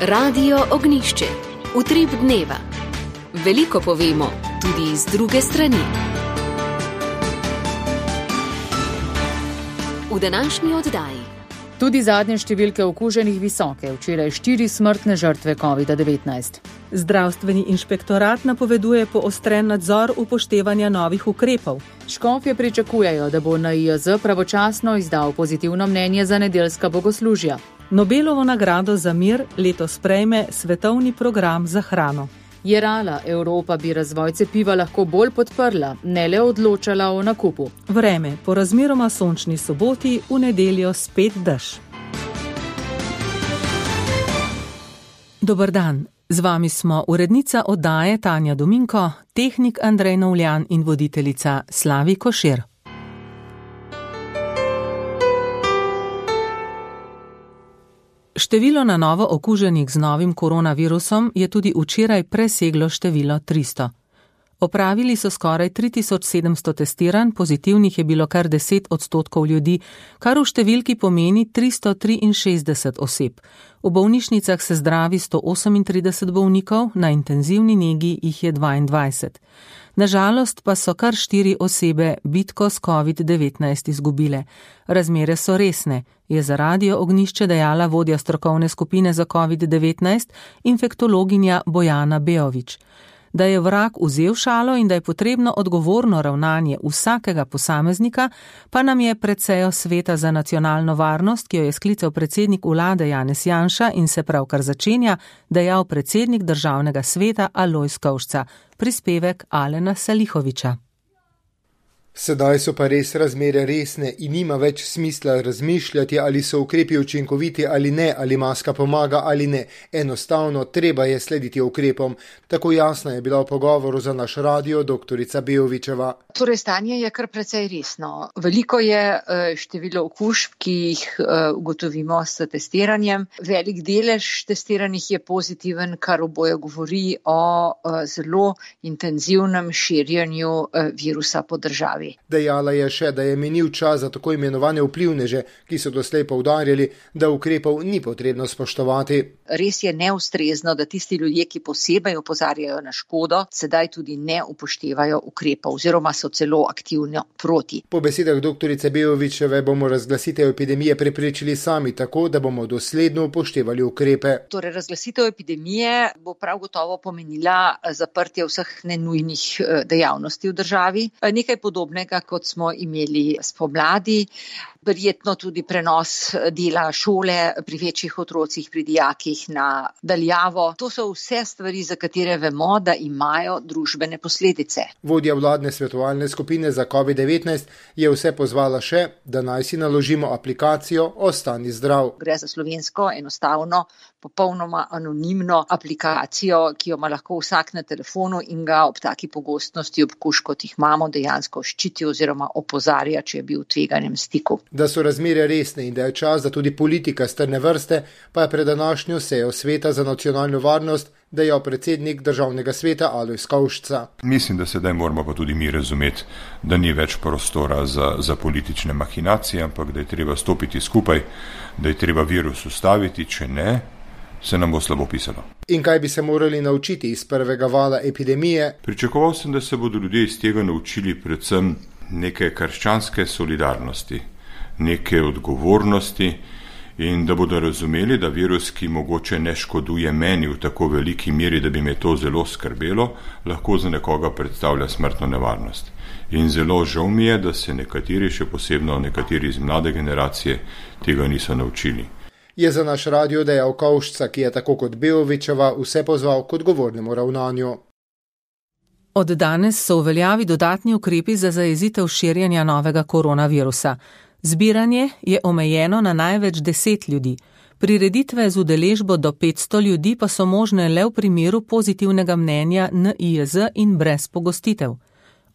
Radio Ognjišče. Utrip dneva. Veliko povemo, tudi iz druge strani. V današnji oddaji. Tudi zadnje številke okuženih visoke, včeraj 4 smrtne žrtve COVID-19. Zdravstveni inšpektorat napoveduje poostren nadzor upoštevanja novih ukrepov. Škofje pričakujejo, da bo NIJZ pravočasno izdal pozitivno mnenje za nedeljska bogoslužja. Nobelovo nagrado za mir letos prejme svetovni program za hrano. Jerala, Evropa bi razvoj cepiva lahko bolj podprla, ne le odločala o nakupu. Vreme, po razmeroma sončni soboti, v nedeljo spet dež. Dober dan, z vami smo urednica oddaje Tanja Dominko, tehnik Andrej Novljan in voditeljica Slavi Košir. Število na novo okuženih z novim koronavirusom je tudi včeraj preseglo število 300. Opravili so skoraj 3700 testiranj, pozitivnih je bilo kar 10% ljudi, kar v številki pomeni 363 oseb. V bolnišnicah se zdravi 138 bolnikov, na intenzivni negi jih je 22. Nažalost pa so kar 4 osebe bitko s COVID-19 izgubile. Razmere so resne, je za Radio Ognjišče dejala vodja strokovne skupine za COVID-19, infektologinja Bojana Beović. Da je vrag vzel šalo in da je potrebno odgovorno ravnanje vsakega posameznika, pa nam je pred sejo Sveta za nacionalno varnost, ki jo je sklical predsednik vlade Janez Janša in se pravkar začenja, dejal predsednik državnega sveta Alojz Kovšca. Prispevek Alena Salihoviča. Sedaj so pa res razmere resne in nima več smisla razmišljati, ali so ukrepi učinkoviti ali ne, ali maska pomaga ali ne. Enostavno, treba je slediti ukrepom. Tako jasna je bila v pogovoru za naš radio doktorica Beovićeva. Torej, stanje je kar precej resno. Veliko je število okužb, ki jih ugotovimo s testiranjem. Velik delež testiranih je pozitiven, kar oboje govori o zelo intenzivnem širjenju virusa po državi. Dejala je še, da je minil čas za tako imenovane vplivneže, ki so doslej poudarjali, da ukrepov ni potrebno spoštovati. Res je neustrezno, da tisti ljudje, ki posebej opozarjajo na škodo, sedaj tudi ne upoštevajo ukrepov oziroma so celo aktivno proti. Po besedah doktorice Beovićeve bomo razglasitev epidemije preprečili sami tako, da bomo dosledno upoštevali ukrepe. Torej, razglasitev epidemije bo prav gotovo pomenila zaprtje vseh nenujnih dejavnosti v državi. Nekaj podobnega, kot smo imeli spomladi. Verjetno tudi prenos dela šole pri večjih otrocih, pri dijakih na daljavo. To so vse stvari, za katere vemo, da imajo družbene posledice. Vodja vladne svetovalne skupine za COVID-19 je vse pozvala še, da naj si naložimo aplikacijo Ostani zdrav. Gre za slovensko, enostavno, popolnoma anonimno aplikacijo, ki jo ima lahko vsak na telefonu in ga ob taki pogostnosti okužb, kot jih imamo, dejansko ščiti oziroma opozarja, če je bil v tveganem stiku. Da so razmere resne in da je čas, da tudi politika strne vrste, pa je pred današnjo sejo Sveta za nacionalno varnost dejal predsednik državnega sveta Alojz Kovšca. Mislim, da sedaj moramo pa tudi mi razumeti, da ni več prostora za politične mahinacije, ampak da je treba stopiti skupaj, da je treba virus ustaviti, če ne, se nam bo slabo pisalo. In kaj bi se morali naučiti iz prvega vala epidemije? Pričakoval sem, da se bodo ljudje iz tega naučili predvsem neke krščanske solidarnosti, neke odgovornosti in da bodo razumeli, da virus, ki mogoče ne škoduje meni v tako veliki meri, da bi me to zelo skrbelo, lahko za nekoga predstavlja smrtno nevarnost. In zelo žal mi je, da se nekateri, še posebno nekateri iz mlade generacije, tega niso naučili. Je za naš radio dejal Kovšca, ki je tako kot Beovićeva vse pozval k odgovornemu ravnanju. Od danes so v veljavi dodatni ukrepi za zajezitev širjenja novega koronavirusa. Zbiranje je omejeno na največ 10 ljudi. Prireditve z udeležbo do 500 ljudi pa so možne le v primeru pozitivnega mnenja NIJZ in brez pogostitev.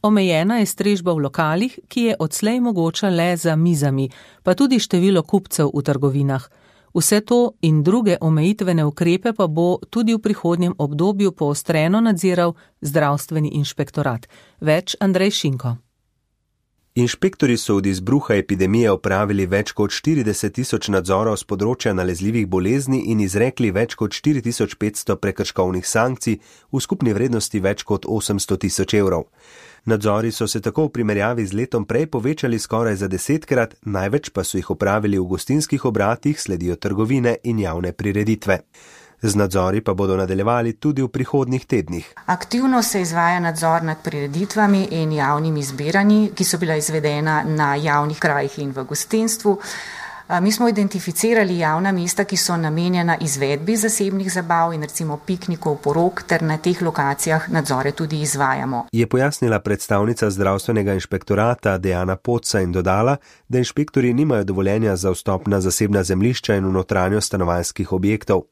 Omejena je strežba v lokalih, ki je odslej mogoča le za mizami, pa tudi število kupcev v trgovinah. Vse to in druge omejitvene ukrepe pa bo tudi v prihodnjem obdobju poostreno nadziral zdravstveni inšpektorat. Več Andrej Šinko. Inšpektori so od izbruha epidemije opravili več kot 40 000 nadzorov z področja nalezljivih bolezni in izrekli več kot 4500 prekrškovnih sankcij v skupni vrednosti več kot 800 000 evrov. Nadzori so se tako v primerjavi z letom prej povečali skoraj za 10-krat, največ pa so jih opravili v gostinskih obratih, sledijo trgovine in javne prireditve. Z nadzori pa bodo nadaljevali tudi v prihodnjih tednih. Aktivno se izvaja nadzor nad prireditvami in javnimi zbiranji, ki so bila izvedena na javnih krajih in v gostinstvu. Mi smo identificirali javna mesta, ki so namenjena izvedbi zasebnih zabav in recimo piknikov, porok, ter na teh lokacijah nadzore tudi izvajamo. Je pojasnila predstavnica zdravstvenega inšpektorata Dejana Poca in dodala, da inšpektori nimajo dovoljenja za vstop na zasebna zemljišča in v notranjost stanovanjskih objektov.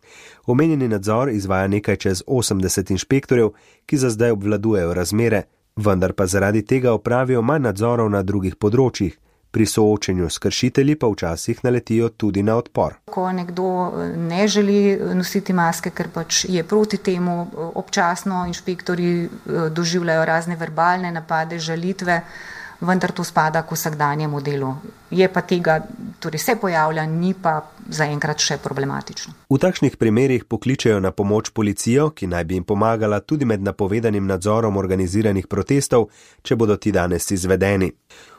Omenjeni nadzor izvaja nekaj čez 80 inšpektorjev, ki za zdaj obvladujejo razmere, vendar pa zaradi tega opravijo manj nadzorov na drugih področjih. Pri soočenju s kršitelji pa včasih naletijo tudi na odpor. Ko nekdo ne želi nositi maske, ker pač je proti temu, občasno inšpektori doživljajo razne verbalne napade, žalitve, vendar to spada k vsakdanjemu delu. Je pa tega, torej se pojavlja, ni pa zaenkrat še problematično. V takšnih primerih pokličejo na pomoč policijo, ki naj bi jim pomagala tudi med napovedanim nadzorom organiziranih protestov, če bodo ti danes izvedeni.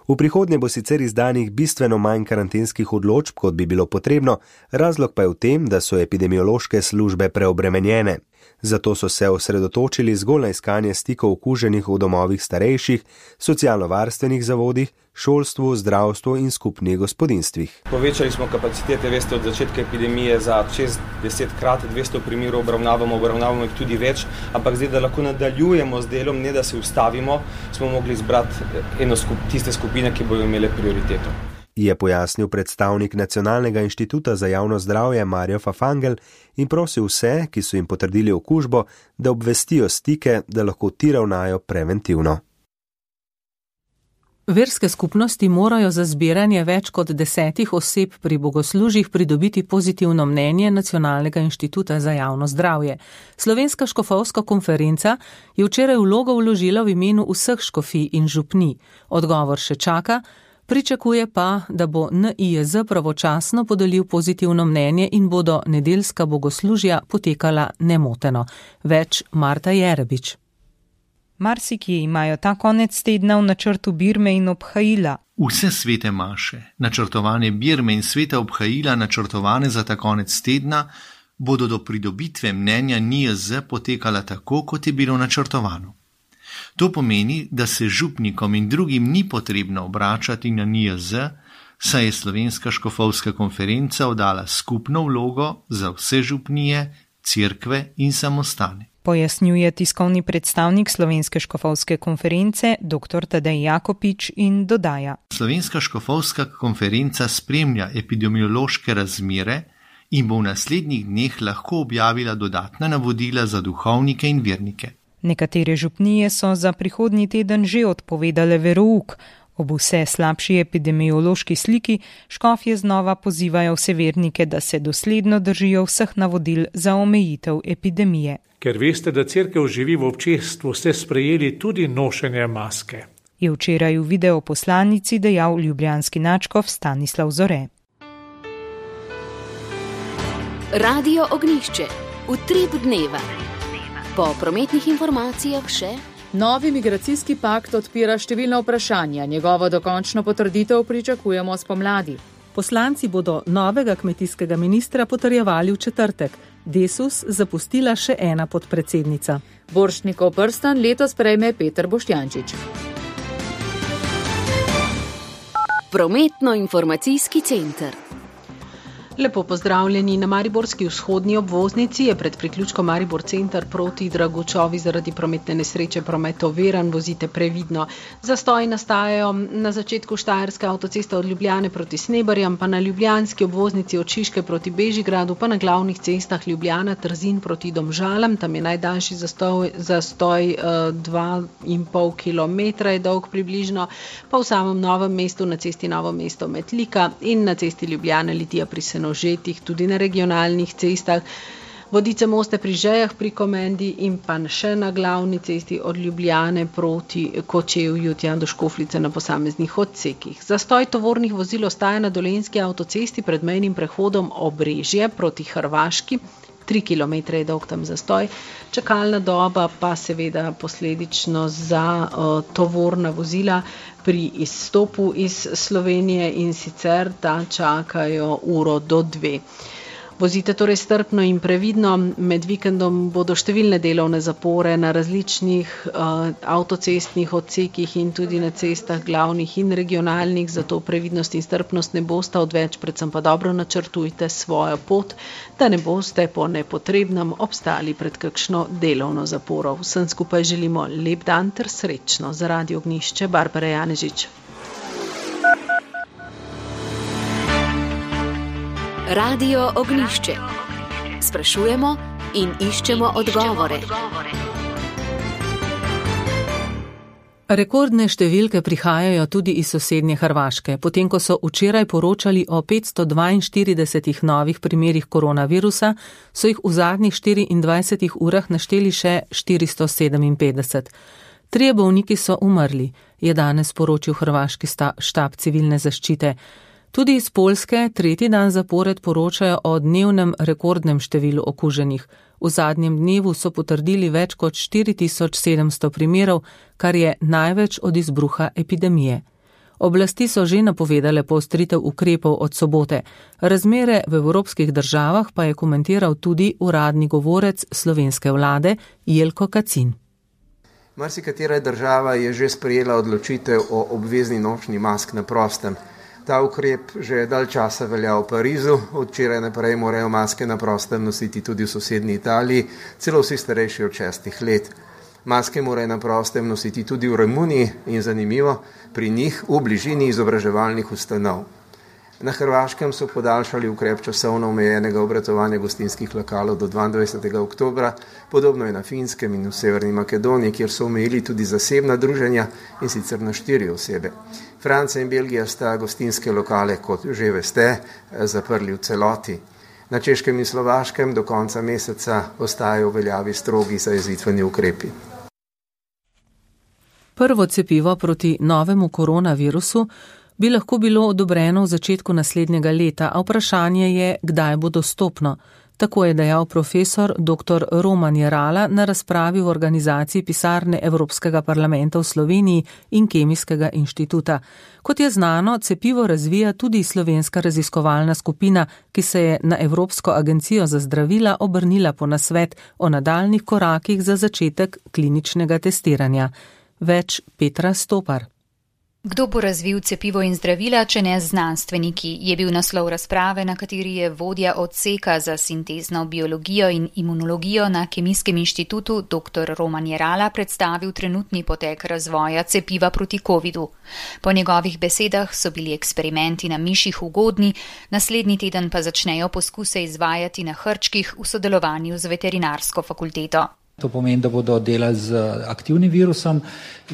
V prihodnje bo sicer izdanih bistveno manj karantenskih odločb, kot bi bilo potrebno, razlog pa je v tem, da so epidemiološke službe preobremenjene. Zato so se osredotočili zgolj na iskanje stikov okuženih v domovih starejših, socialno-varstvenih zavodih, šolstvu, zdravstvu in skupnih gospodinstvih. Povečali smo kapacitete, veste, od začetka epidemije za 6-10krat, 200 primerov obravnavamo jih tudi več, ampak zdaj, da lahko nadaljujemo z delom, ne da se ustavimo, smo mogli izbrati tiste skupine, ki bodo imele prioriteto. Je pojasnil predstavnik Nacionalnega inštituta za javno zdravje Mario Fafangel in prosil vse, ki so jim potrdili okužbo, da obvestijo stike, da lahko ti ravnajo preventivno. Verske skupnosti morajo za zbiranje več kot 10 oseb pri bogoslužjih pridobiti pozitivno mnenje Nacionalnega inštituta za javno zdravje. Slovenska škofovska konferenca je včeraj vlogo vložila v imenu vseh škofij in župnij. Odgovor še čaka. Pričakuje pa, da bo NIJZ pravočasno podelil pozitivno mnenje in bodo nedeljska bogoslužja potekala nemoteno. Več Marta Jerebič. Marsikje imajo ta konec tedna v načrtu birme in obhajila. Vse svete maše, načrtovane birme in sveta obhajila, načrtovane za ta konec tedna, bodo do pridobitve mnenja NIJZ potekala tako, kot je bilo načrtovano. To pomeni, da se župnikom in drugim ni potrebno obračati na NIJZ, saj je Slovenska škofovska konferenca oddala skupno vlogo za vse župnije, cerkve in samostane. Pojasnjuje tiskovni predstavnik Slovenske škofovske konference dr. Tadej Jakopič in dodaja. Slovenska škofovska konferenca spremlja epidemiološke razmere in bo v naslednjih dneh lahko objavila dodatna navodila za duhovnike in vernike. Nekatere župnije so za prihodnji teden že odpovedale verouk. Ob vse slabši epidemiološki sliki škofje znova pozivajo vse vernike, da se dosledno držijo vseh navodil za omejitev epidemije. Ker veste, da cerkev živi v občestvu, ste sprejeli tudi nošenje maske. Je včeraj v videoposlanici dejal ljubljanski nadškof Stanislav Zore. Radio Ognjišče. Utrip dneva. Po prometnih informacijah še. Novi migracijski pakt odpira številna vprašanja. Njegovo dokončno potrditev pričakujemo spomladi. Poslanci bodo novega kmetijskega ministra potrjevali v četrtek. Desus zapustila še ena podpredsednica. Borštnikov prstan letos prejme Peter Boštjančič. Prometno-informacijski center. Lepo pozdravljeni. Na mariborski vzhodni obvoznici je pred priključkom Maribor center proti Dragočovi zaradi prometne nesreče promet oviran, vozite previdno. Zastoji nastajajo na začetku Štajerske avtoceste od Ljubljane proti Sneberjam, pa na ljubljanski obvoznici od Šiške proti Bežigradu, pa na glavnih cestah Ljubljana, Trzin proti Domžalam, tam je najdaljši zastoj 2,5 km je dolg približno, pa v samem Novem mestu na cesti Novo mesto Metlika in na cesti Ljubljana Litija pri Senožetih, tudi na regionalnih cestah. Vodice Moste pri Žejah pri Komendi in pa še na glavni cesti od Ljubljane proti Kočevju tja do Škofljice na posameznih odsekih. Zastoj tovornih vozil ostaja na Dolenjski avtocesti pred mejnim prehodom Obrežje proti Hrvaški. 3 km je dolg tam zastoj. Čakalna doba pa seveda posledično za tovorna vozila pri izstopu iz Slovenije in sicer da čakajo 1 do 2. Vozite torej strpno in previdno. Med vikendom bodo številne delovne zapore na različnih avtocestnih odsekih in tudi na cestah glavnih in regionalnih, zato previdnost in strpnost ne bosta odveč, predvsem pa dobro načrtujte svojo pot, da ne boste po nepotrebnem obstali pred kakšno delovno zaporo. Vsem skupaj želimo lep dan ter srečno. Za Radio Ognjišče, Barbara Janežič. Radio Ognjišče. Sprašujemo in iščemo odgovore. Rekordne številke prihajajo tudi iz sosednje Hrvaške. Potem, ko so včeraj poročali o 542 novih primerih koronavirusa, so jih v zadnjih 24 urah našteli še 457. 3 bolniki so umrli, je danes poročil hrvaški štab civilne zaščite. Tudi iz Poljske 3. dan zapored poročajo o dnevnem rekordnem številu okuženih. V zadnjem dnevu so potrdili več kot 4700 primerov, kar je največ od izbruha epidemije. Oblasti so že napovedale poostritev ukrepov od sobote. Razmere v evropskih državah pa je komentiral tudi uradni govorec slovenske vlade Jelko Kacin. Marsikatera država je že sprejela odločitev o obvezni nošnji mask na prostem. Ta ukrep že dalj časa velja v Parizu, od včeraj naprej morajo maske na prostem nositi tudi v sosednji Italiji, celo vsi starejši od 6 let. Maske morajo na prostem nositi tudi v Romuniji in zanimivo, pri njih v bližini izobraževalnih ustanov. Na Hrvaškem so podaljšali ukrep časovno omejenega obratovanja gostinskih lokalov do 22. oktobra, podobno je na Finskem in v Severni Makedoniji, kjer so omejili tudi zasebna druženja in sicer na 4 osebe. Francija in Belgija sta gostinske lokale, kot že veste, zaprli v celoti. Na Češkem in Slovaškem do konca meseca ostajajo v veljavi strogi zajezitveni ukrepi. Prvo cepivo proti novemu koronavirusu bi lahko bilo odobreno v začetku naslednjega leta, a vprašanje je, kdaj bo dostopno. Tako je dejal profesor dr. Roman Jerala na razpravi v organizaciji pisarne Evropskega parlamenta v Sloveniji in Kemijskega inštituta. Kot je znano, cepivo razvija tudi slovenska raziskovalna skupina, ki se je na Evropsko agencijo za zdravila obrnila po nasvet o nadaljnih korakih za začetek kliničnega testiranja. Več Petra Stopar. Kdo bo razvil cepivo in zdravila, če ne znanstveniki, je bil naslov razprave, na kateri je vodja odseka za sintezno biologijo in imunologijo na Kemijskem inštitutu dr. Roman Jerala predstavil trenutni potek razvoja cepiva proti covidu. Po njegovih besedah so bili eksperimenti na miših ugodni, naslednji teden pa začnejo poskuse izvajati na hrčkih v sodelovanju z veterinarsko fakulteto. To pomeni, da bodo delali z aktivnim virusom,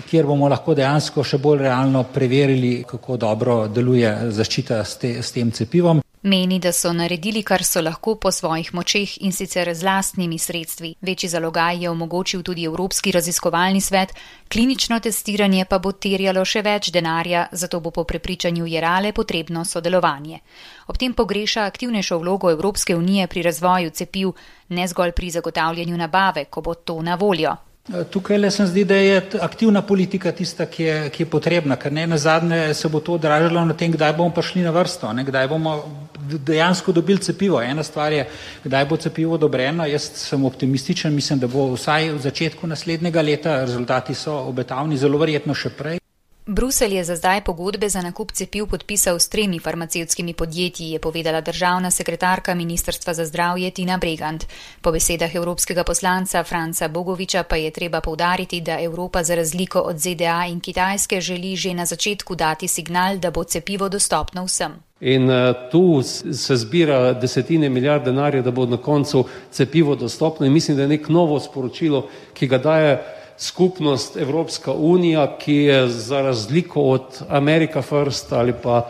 kjer bomo lahko dejansko še bolj realno preverili, kako dobro deluje zaščita s tem cepivom. Meni, da so naredili, kar so lahko po svojih močeh in sicer z lastnimi sredstvi. Večji zalogaj je omogočil tudi Evropski raziskovalni svet, klinično testiranje pa bo terjalo še več denarja, zato bo po prepričanju Jerale potrebno sodelovanje. Ob tem pogreša aktivnejšo vlogo Evropske unije pri razvoju cepiv, ne zgolj pri zagotavljanju nabave, ko bo to na voljo. Tukaj le se zdi, da je aktivna politika tista, ki je potrebna, ker nazadnje se bo to odražalo na tem, kdaj bomo prišli na vrsto, kdaj bomo dejansko dobili cepivo. Ena stvar je, kdaj bo cepivo odobreno. Jaz sem optimističen, mislim, da bo vsaj v začetku naslednjega leta, rezultati so obetavni, zelo verjetno še prej. Bruselj je za zdaj pogodbe za nakup cepiv podpisal s 3 farmacevtskimi podjetji, je povedala državna sekretarka Ministrstva za zdravje Tina Bregant. Po besedah evropskega poslanca Franca Bogoviča pa je treba poudariti, da Evropa za razliko od ZDA in Kitajske želi že na začetku dati signal, da bo cepivo dostopno vsem. In tu se zbira desetine milijard denarja, da bo na koncu cepivo dostopno in mislim, da je nek novo sporočilo, ki ga daje skupnost Evropska unija, ki je za razliko od America First ali pa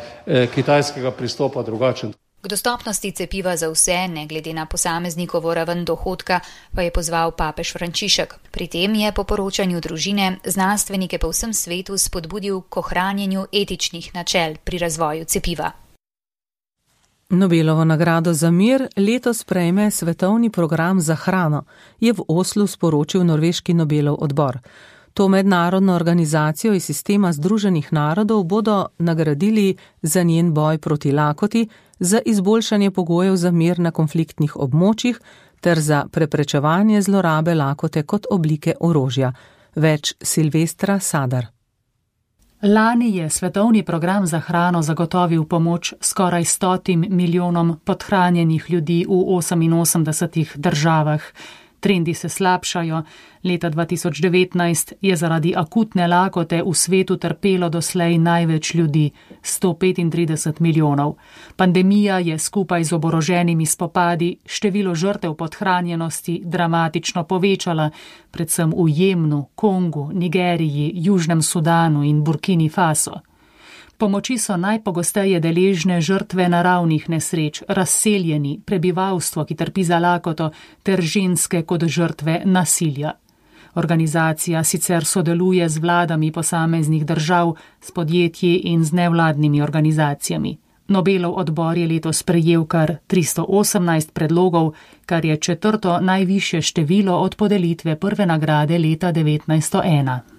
kitajskega pristopa drugačen. V dostopnosti cepiva za vse, ne glede na posameznikovo raven dohodka, pa je pozval papež Frančišek. Pri tem je po poročanju družine znanstvenike po vsem svetu spodbudil k ohranjanju etičnih načel pri razvoju cepiva. Nobelovo nagrado za mir letos prejme Svetovni program za hrano, je v Oslu sporočil norveški Nobelov odbor. To mednarodno organizacijo iz sistema Združenih narodov bodo nagradili za njen boj proti lakoti, za izboljšanje pogojev za mir na konfliktnih območjih ter za preprečevanje zlorabe lakote kot oblike orožja. Več Silvestra Sadar. Lani je Svetovni program za hrano zagotovil pomoč skoraj 100 milijonom podhranjenih ljudi v 88 državah. Trendi se slabšajo. Leta 2019 je zaradi akutne lakote v svetu trpelo doslej največ ljudi, 135 milijonov. Pandemija je skupaj z oboroženimi spopadi število žrtev podhranjenosti dramatično povečala, predvsem v Jemnu, Kongu, Nigeriji, Južnem Sudanu in Burkini Faso. Pomoči so najpogosteje deležne žrtve naravnih nesreč, razseljeni, prebivalstvo, ki trpi za lakoto, ter ženske kot žrtve nasilja. Organizacija sicer sodeluje z vladami posameznih držav, s podjetji in z nevladnimi organizacijami. Nobelov odbor je letos prejel kar 318 predlogov, kar je 4. najvišje število od podelitve prve nagrade leta 1901.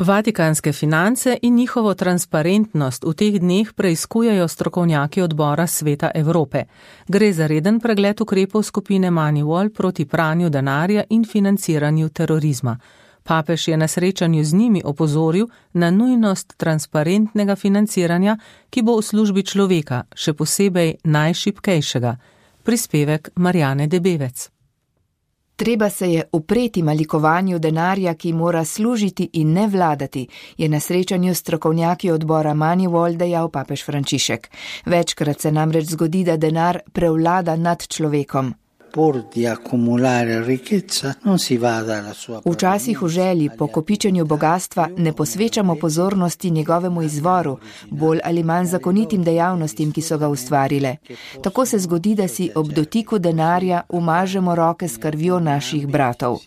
Vatikanske finance in njihovo transparentnost v teh dneh preiskujejo strokovnjaki odbora Sveta Evrope. Gre za reden pregled ukrepov skupine Moneyval proti pranju denarja in financiranju terorizma. Papež je na srečanju z njimi opozoril na nujnost transparentnega financiranja, ki bo v službi človeka, še posebej najšibkejšega. Prispevek Marjane Debevec. Treba se je upreti malikovanju denarja, ki mora služiti in ne vladati, je na srečanju strokovnjaki odbora Moneyval dejal papež Frančišek. Večkrat se namreč zgodi, da denar prevlada nad človekom. Včasih v želji po kopičenju bogatstva ne posvečamo pozornosti njegovemu izvoru, bolj ali manj zakonitim dejavnostim, ki so ga ustvarile. Tako se zgodi, da si ob dotiku denarja umažemo roke s krvjo naših bratov.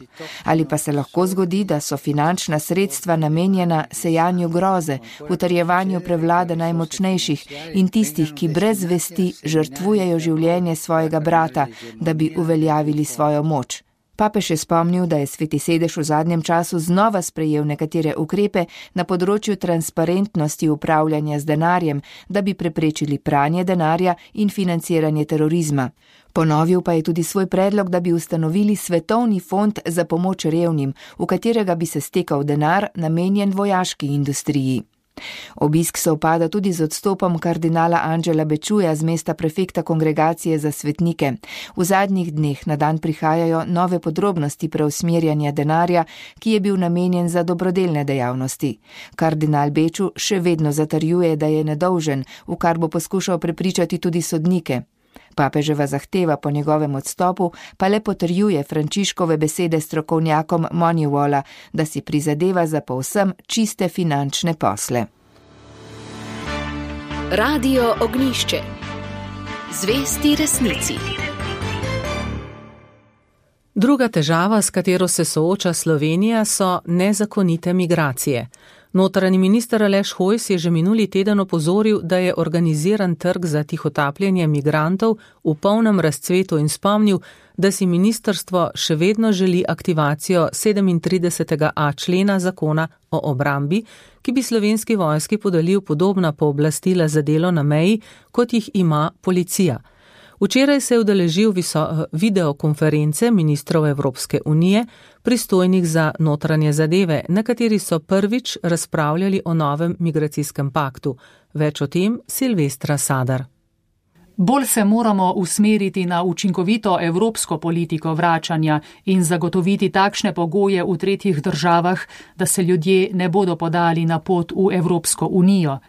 Ali pa se lahko zgodi, da so finančna sredstva namenjena sejanju groze, utrjevanju prevlade najmočnejših in tistih, ki brez vesti žrtvujejo življenje svojega brata, da bi uveljavili svojo moč. Papež je spomnil, da je Sveti sedež v zadnjem času znova sprejel nekatere ukrepe na področju transparentnosti upravljanja z denarjem, da bi preprečili pranje denarja in financiranje terorizma. Ponovil pa je tudi svoj predlog, da bi ustanovili svetovni fond za pomoč revnim, v katerega bi se stekal denar namenjen vojaški industriji. Obisk se upada tudi z odstopom kardinala Angela Bečuja z mesta prefekta kongregacije za svetnike. V zadnjih dneh na dan prihajajo nove podrobnosti preusmerjanja denarja, ki je bil namenjen za dobrodelne dejavnosti. Kardinal Beču še vedno zatrjuje, da je nedolžen, v kar bo poskušal prepričati tudi sodnike. Papeževa zahteva po njegovem odstopu pa le potrjuje Frančiškove besede strokovnjakom Moneyvala, da si prizadeva za povsem čiste finančne posle. Radio Ognjišče. Zvesti resnici. Druga težava, s katero se sooča Slovenija, so nezakonite migracije. Notranji minister Aleš Hojs je že minuli teden opozoril, da je organiziran trg za tihotapljenje migrantov v polnem razcvetu in spomnil, da si ministrstvo še vedno želi aktivacijo 37.a člena zakona o obrambi, ki bi slovenski vojski podelil podobna pooblastila za delo na meji, kot jih ima policija. Včeraj se je udeležil videokonference ministrov Evropske unije, pristojnih za notranje zadeve, na kateri so prvič razpravljali o novem migracijskem paktu. Več o tem Silvestra Sadar. Bolj se moramo usmeriti na učinkovito evropsko politiko vračanja in zagotoviti takšne pogoje v tretjih državah, da se ljudje ne bodo podali na pot v Evropsko unijo.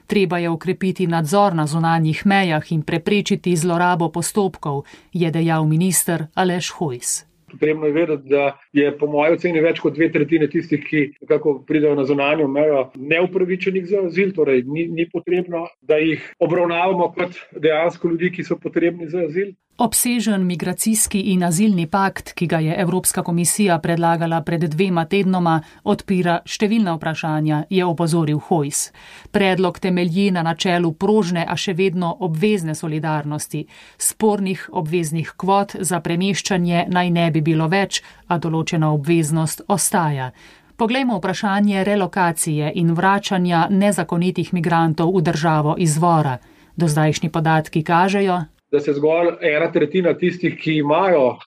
Treba je ukrepiti nadzor na zunanjih mejah in preprečiti zlorabo postopkov, je dejal minister Aleš Hojs. Potrebno je vedeti, da je po moji oceni več kot 2/3 tistih, ki nekako pridejo na zunanjo mejo, neupravičenih za azil, torej ni potrebno, da jih obravnavamo kot dejansko ljudi, ki so potrebni za azil. Obsežen migracijski in azilni pakt, ki ga je Evropska komisija predlagala pred 2 tednoma, odpira številna vprašanja, je opozoril Hojs. Predlog temelji na načelu prožne, a še vedno obvezne solidarnosti. Spornih obveznih kvot za premeščanje naj ne bi bilo več, a določena obveznost ostaja. Poglejmo vprašanje relokacije in vračanja nezakonitih migrantov v državo izvora. Dozdajšnji podatki kažejo, da se zgolj 1/3 tistih, ki imajo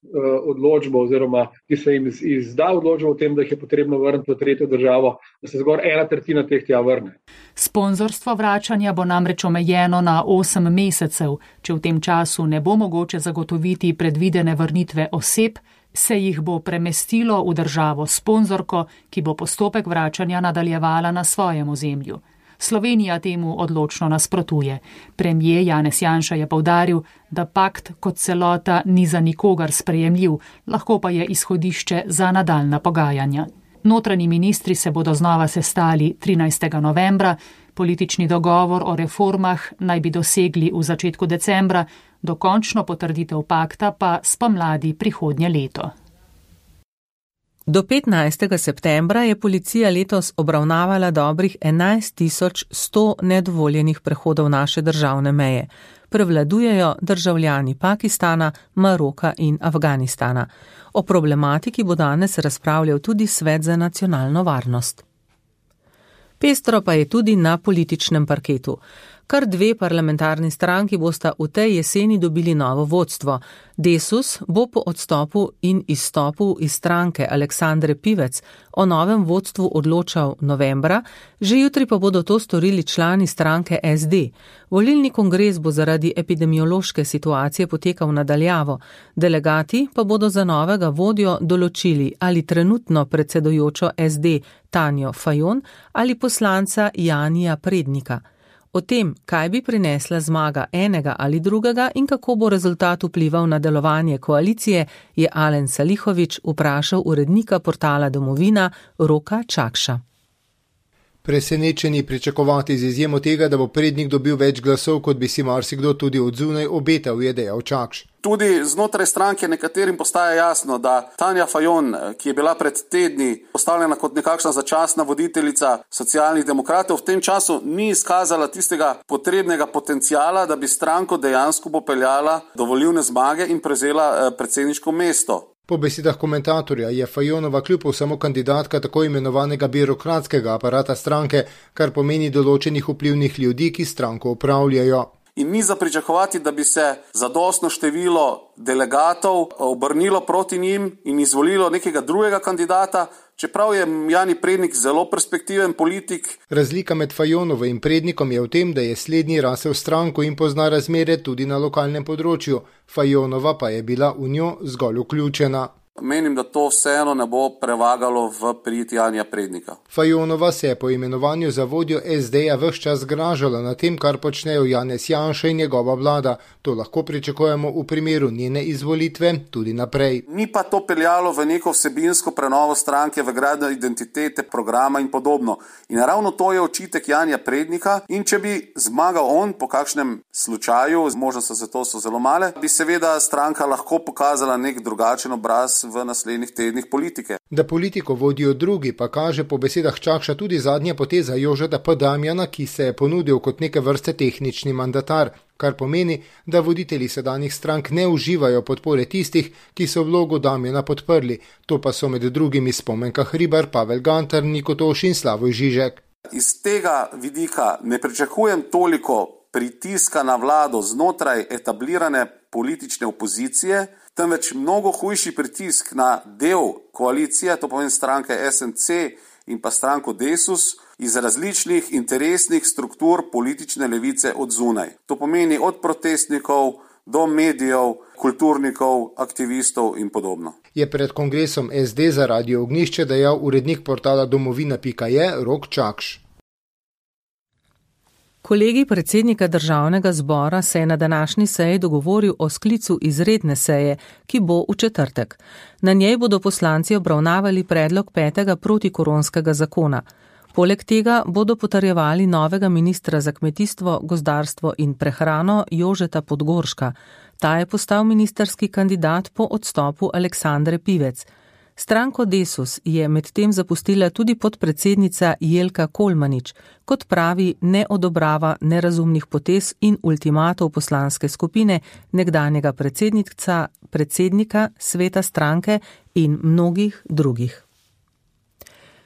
odločbo oziroma ki se jim izda odločbo o tem, da jih je potrebno vrniti v tretjo državo, da se zgolj 1/3 teh tja vrne. Sponzorstvo vračanja bo namreč omejeno na 8 mesecev. Če v tem času ne bo mogoče zagotoviti predvidene vrnitve oseb, se jih bo premestilo v državo sponzorko, ki bo postopek vračanja nadaljevala na svojem ozemlju. Slovenija temu odločno nasprotuje. Premijer Janez Janša je poudaril, da pakt kot celota ni za nikogar sprejemljiv, lahko pa je izhodišče za nadaljnja pogajanja. Notranji ministri se bodo znova sestali 13. novembra, politični dogovor o reformah naj bi dosegli v začetku decembra, dokončno potrditev pakta pa spomladi prihodnje leto. Do 15. septembra je policija letos obravnavala dobrih 11.100 nedovoljenih prehodov naše državne meje. Prevladujejo državljani Pakistana, Maroka in Afganistana. O problematiki bo danes razpravljal tudi Svet za nacionalno varnost. Pestro pa je tudi na političnem parketu. Kar 2 parlamentarni stranki bosta v tej jeseni dobili novo vodstvo. Desus bo po odstopu in izstopu iz stranke Aleksandre Pivec o novem vodstvu odločal novembra, že jutri pa bodo to storili člani stranke SD. Volilni kongres bo zaradi epidemiološke situacije potekal nadaljavo. Delegati pa bodo za novega vodjo določili ali trenutno predsedujočo SD Tanjo Fajon ali poslanca Janija Prednika. O tem, kaj bi prinesla zmaga enega ali drugega in kako bo rezultat vplival na delovanje koalicije, je Alen Salihović vprašal urednika portala Domovina Roka Čakša. Presenečeni pričakovati z izjemo tega, da bo Prednik dobil več glasov, kot bi si marsikdo tudi od zunaj obetal, je dejal Čakš. Tudi znotraj stranke nekaterim postaja jasno, da Tanja Fajon, ki je bila pred tedni postavljena kot nekakšna začasna voditeljica Socialnih demokratov, v tem času ni izkazala tistega potrebnega potencijala, da bi stranko dejansko popeljala do volilne zmage in prevzela predsedniško mesto. Po besedah komentatorja je Fajonova kljub samo kandidatka tako imenovanega birokratskega aparata stranke, kar pomeni določenih vplivnih ljudi, ki stranko upravljajo. In ni za pričakovati, da bi se zadostno število delegatov obrnilo proti njim in izvolilo nekega drugega kandidata, čeprav je Jani Prednik zelo perspektiven politik. Razlika med Fajonovo in Prednikom je v tem, da je slednji rasel stranko in pozna razmere tudi na lokalnem področju. Fajonova pa je bila v njo zgolj vključena. Menim, da to vseeno ne bo prevagalo v prid Janija Prednika. Fajonova se je po imenovanju za vodjo SD-ja ves čas zgražala na tem, kar počnejo Janez Janša in njegova vlada. To lahko pričakujemo v primeru njene izvolitve tudi naprej. Ni pa to peljalo v neko vsebinsko prenovo stranke, v gradnjo identitete, programa in podobno. In ravno to je očitek Janija Prednika. In če bi zmagal on po kakšnem slučaju, možnosti za to so zelo male, bi seveda stranka lahko pokazala nek drugačen obraz v naslednjih tednih politike. Da politiko vodijo drugi, pa kaže po besedah Čakša tudi zadnja poteza Jožeta P. Damjana, ki se je ponudil kot neke vrste tehnični mandatar, kar pomeni, da voditelji sedanjih strank ne uživajo podpore tistih, ki so vlogo Damjana podprli. To pa so med drugimi Spomenka Hribar, Pavel Gantar, Niko Toš in Slavoj Žižek. Iz tega vidika ne pričakujem toliko pritiska na vlado znotraj etablirane politične opozicije, temveč mnogo hujši pritisk na del koalicije, to pomeni stranke SNC in pa stranko Desus, iz različnih interesnih struktur politične levice od zunaj. To pomeni od protestnikov do medijev, kulturnikov, aktivistov in podobno. Je pred kongresom SD za Radio Ognjišče dejal urednik portala domovina.je Rok Čakš. Kolegij predsednika državnega zbora se je na današnji seji dogovoril o sklicu izredne seje, ki bo v četrtek. Na njej bodo poslanci obravnavali predlog 5. protikoronskega zakona. Poleg tega bodo potrjevali novega ministra za kmetijstvo, gozdarstvo in prehrano Jožeta Podgorška. Ta je postal ministerski kandidat po odstopu Aleksandre Pivec. Stranko Desus je medtem zapustila tudi podpredsednica Jelka Kolmanič, kot pravi, ne odobrava nerazumnih potez in ultimatov poslanske skupine nekdanjega predsednika sveta stranke in mnogih drugih.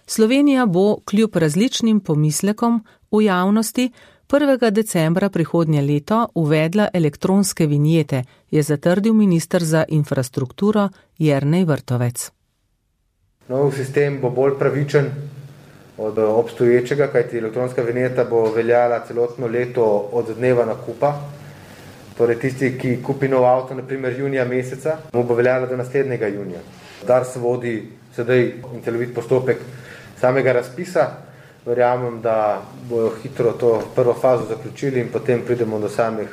Slovenija bo kljub različnim pomislekom v javnosti 1. decembra prihodnje leto uvedla elektronske vinjete, je zatrdil minister za infrastrukturo Jernej Vrtovec. Nov sistem bo bolj pravičen od obstoječega, kajti elektronska vinjeta bo veljala celotno leto od dneva nakupa. Torej tisti, ki kupi nov avto, naprimer junija meseca, mu bo veljala do naslednjega junija. Dars vodi sedaj celovit postopek samega razpisa. Verjamem, da bojo hitro to prvo fazo zaključili in potem pridemo do samih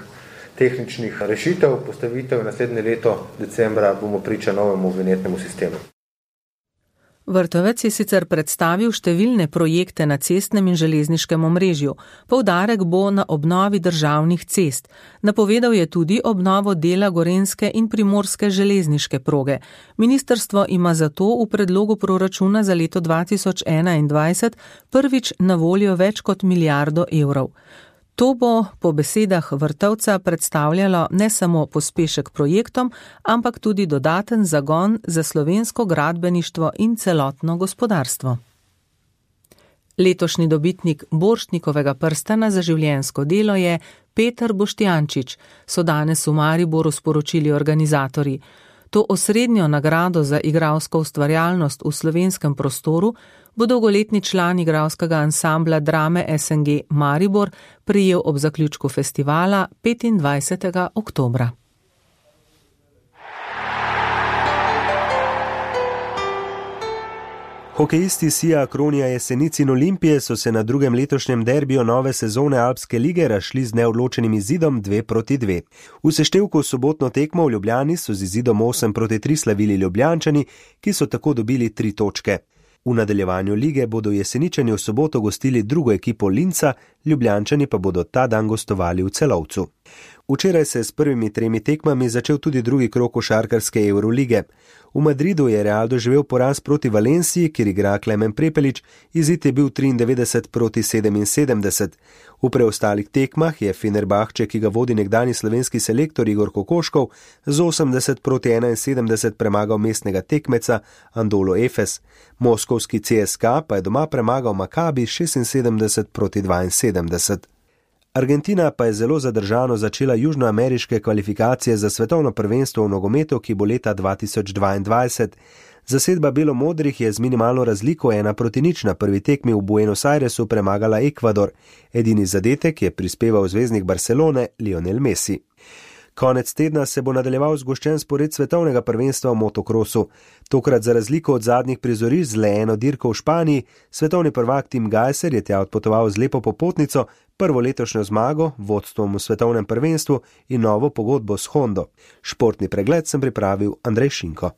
tehničnih rešitev, postavitev in naslednje leto decembra bomo priča novemu vinjetnemu sistemu. Vrtovec je sicer predstavil številne projekte na cestnem in železniškem omrežju. Poudarek bo na obnovi državnih cest. Napovedal je tudi obnovo dela gorenjske in primorske železniške proge. Ministrstvo ima zato v predlogu proračuna za leto 2021 prvič na voljo več kot milijardo evrov. To bo po besedah Vrtovca predstavljalo ne samo pospešek projektom, ampak tudi dodaten zagon za slovensko gradbeništvo in celotno gospodarstvo. Letošnji dobitnik Borštnikovega prstana za življenjsko delo je Peter Boštjančič, so danes v Mariboru sporočili organizatorji. To osrednjo nagrado za igralsko ustvarjalnost v slovenskem prostoru bo dolgoletni član igralskega ansambla drame SNG Maribor prejel ob zaključku festivala 25. oktobra. Hokejisti Sija Akronija Jesenic in Olimpije so se na drugem letošnjem derbiju nove sezone Alpske lige razšli z neodločenim izidom 2-2. V seštevku sobotno tekmo v Ljubljani so z izidom 8-3 slavili Ljubljančani, ki so tako dobili 3 točke. V nadaljevanju lige bodo Jeseničani v soboto gostili drugo ekipo Linca, Ljubljančani pa bodo ta dan gostovali v Celovcu. Včeraj se je s prvimi 3 tekmami začel tudi drugi krog košarkarske Eurolige. V Madridu je Real doživel poraz proti Valenciji, kjer igra Klemen Prepelič, izid je bil 93-77. V preostalih tekmah je Fenerbahče, ki ga vodi nekdanji slovenski selektor Igor Kokoškov, z 80-71 premagal mestnega tekmeca Andolo Efes. Moskovski CSKA pa je doma premagal Makabi 76-72. Argentina pa je zelo zadržano začela južnoameriške kvalifikacije za svetovno prvenstvo v nogometu, ki bo leta 2022. Zasedba belomodrih je z minimalno razliko 1-0 na prvi tekmi v Buenos Airesu premagala Ekvador. Edini zadetek je prispeval zvezdnik Barcelone Lionel Messi. Konec tedna se bo nadaljeval zgoščen spored svetovnega prvenstva v motokrosu. Tokrat za razliko od zadnjih prizorišč z le eno dirko v Španiji, svetovni prvak Tim Gajser je tja odpotoval z lepo popotnico, prvo letošnjo zmago, vodstvom v svetovnem prvenstvu in novo pogodbo s Hondo. Športni pregled sem pripravil Andrej Šinko.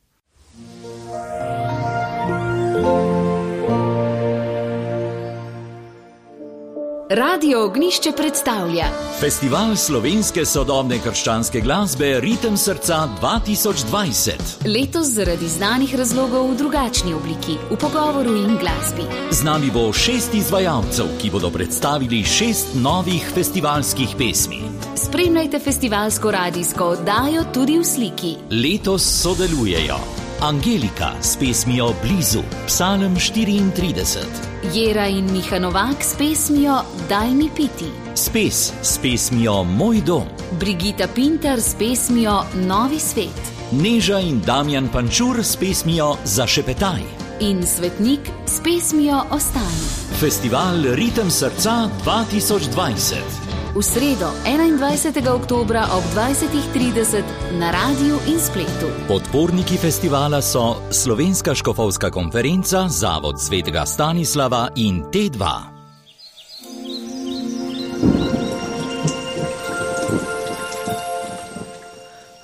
Radio Ognišče predstavlja Festival slovenske sodobne krščanske glasbe Ritem srca 2020. Letos zaradi znanih razlogov v drugačni obliki, v pogovoru in glasbi. Z nami bo 6 izvajalcev, ki bodo predstavili 6 novih festivalskih pesmi. Spremljajte festivalsko radijsko oddajo tudi v sliki. Letos sodelujejo Angelika s pesmijo Blizu, Psalm 34. Jera in Miha Novak s pesmijo Daj mi piti. Spes s pesmijo Moj dom. Brigita Pintar s pesmijo Novi svet. Neža in Damjan Pančur s pesmijo Zašepetaj. In Svetnik s pesmijo Ostani. Festival Ritem srca 2020. V sredo 21. oktobra ob 20:30 na radiju in spletu. Podporniki festivala so Slovenska škofovska konferenca, Zavod svetega Stanislava in T2.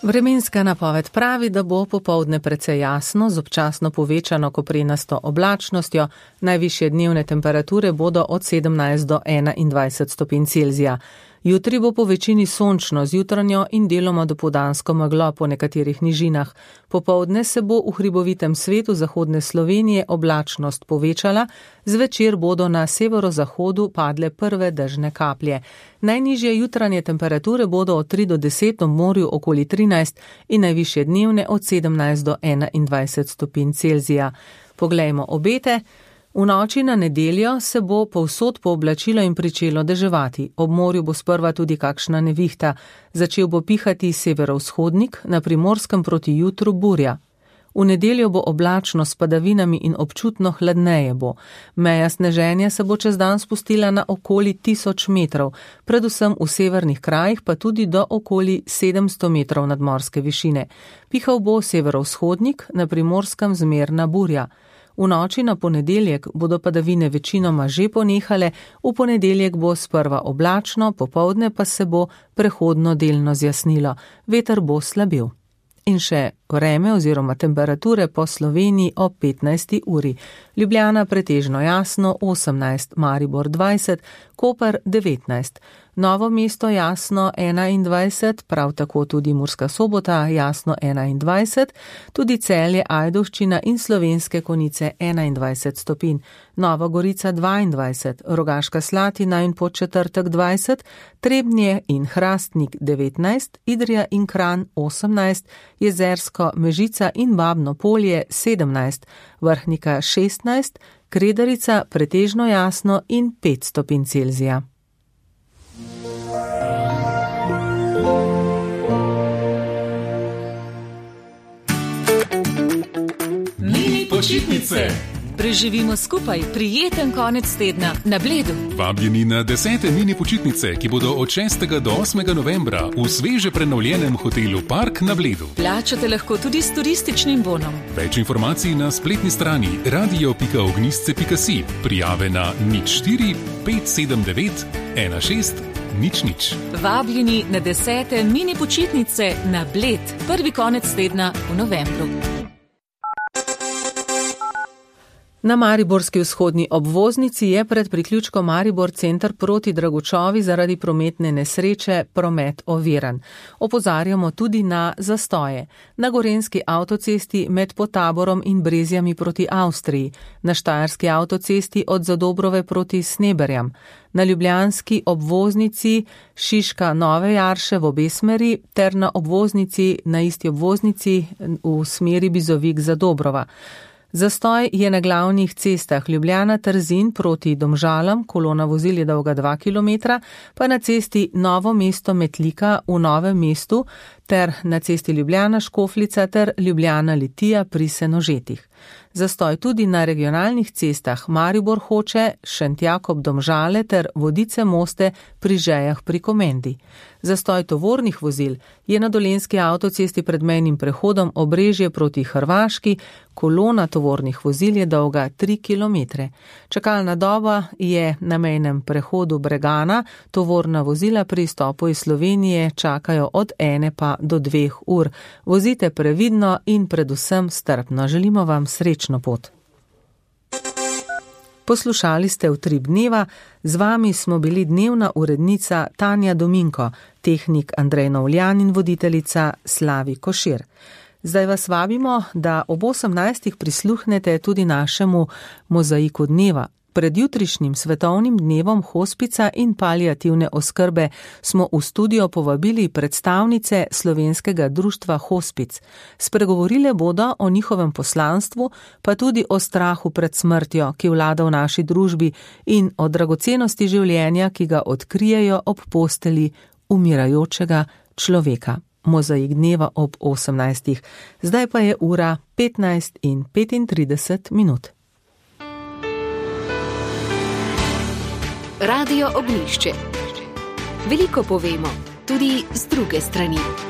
Vremenska napoved pravi, da bo popoldne precej jasno, z občasno povečano koprenasto oblačnostjo, najvišje dnevne temperature bodo od 17 do 21 stopinj Celzija. Jutri bo po večini sončno z jutranjo in deloma dopoldansko meglo po nekaterih nižinah. Popoldne se bo v hribovitem svetu zahodne Slovenije oblačnost povečala, zvečer bodo na severozahodu padle prve dežne kaplje. Najnižje jutranje temperature bodo od 3 do 10 v morju okoli 13 in najvišje dnevne od 17 do 21 stopinj Celzija. Poglejmo obete. V noči na nedeljo se bo povsod pooblačilo in pričelo deževati. Ob morju bo sprva tudi kakšna nevihta. Začel bo pihati severovzhodnik, na Primorskem proti jutru burja. V nedeljo bo oblačno s padavinami in občutno hladneje bo. Meja sneženja se bo čez dan spustila na okoli 1000 metrov, predvsem v severnih krajih pa tudi do okoli 700 metrov nadmorske višine. Pihal bo severovzhodnik, na Primorskem zmerna burja. V noči na ponedeljek bodo padavine večinoma že ponehale, v ponedeljek bo sprva oblačno, popoldne pa se bo prehodno delno zjasnilo, veter bo slabil. In še vreme oziroma temperature po Sloveniji ob 15. uri. Ljubljana pretežno jasno 18, Maribor 20, Koper 19, Novo mesto jasno 21, prav tako tudi Murska Sobota jasno 21, tudi Celje, Ajdovščina in Slovenske Konjice 21 stopinj, Nova Gorica 22, Rogaška Slatina in Podčetrtek 20, Trebnje in Hrastnik 19, Idrija in Kranj 18, Jezersko, Mežica in Babno Polje 17, Vrhnika 16, Kredarica pretežno jasno in 5 stopinj Celzija. Mini počitnice. Preživimo skupaj prijeten konec tedna na Bledu. Vabljeni na 10. mini počitnice, ki bodo od 6. do 8. novembra v sveže prenovljenem hotelu Park na Bledu. Plačate lahko tudi s turističnim bonom. Več informacij na spletni strani radio.ognisce.si. Prijave na 04 579 16 00. Vabljeni na 10. mini počitnice na Bled, prvi konec tedna v novembru. Na mariborski vzhodni obvoznici je pred priključkom Maribor center proti Dragučovi zaradi prometne nesreče promet oviran. Opozarjamo tudi na zastoje. Na gorenjski avtocesti med Potaborom in Brezjami proti Avstriji, na štajerski avtocesti od Zadobrove proti Sneberjam, na ljubljanski obvoznici Šiška Nove Jarše v obe smeri ter na isti obvoznici v smeri Bizovik Zadobrova. Zastoj je na glavnih cestah Ljubljana-Trzin proti Domžalam, kolona vozil je dolga 2 km, pa na cesti Novo mesto-Metlika v Novem mestu ter na cesti Ljubljana-Škofljica ter Ljubljana-Litija pri Senožetih. Zastoj tudi na regionalnih cestah Maribor-Hoče, Šentjakob-Domžale ter Vodice-Moste pri Žejah pri Komendi. Zastoj tovornih vozil je na dolenjski avtocesti pred mejnim prehodom Obrežje proti Hrvaški, kolona tovornih vozil je dolga 3 km. Čakalna doba je na mejnem prehodu Bregana, tovorna vozila pri izstopu iz Slovenije čakajo od 1 pa do 2 ur. Vozite previdno in predvsem strpno. Želimo vam srečno pot. Poslušali ste Utrip dneva, z vami smo bili dnevna urednica Tanja Dominko, tehnik Andrej Novljan in voditeljica Slavi Košir. Zdaj vas vabimo, da ob 18. prisluhnete tudi našemu mozaiku dneva. Pred jutrišnjim svetovnim dnevom hospica in paliativne oskrbe smo v studio povabili predstavnice slovenskega društva Hospic. Spregovorile bodo o njihovem poslanstvu, pa tudi o strahu pred smrtjo, ki vlada v naši družbi, in o dragocenosti življenja, ki ga odkrijejo ob posteli umirajočega človeka. Mozaik dneva ob 18. Zdaj pa je ura 15:35. Radio Ognjišče. Veliko povemo, tudi z druge strani.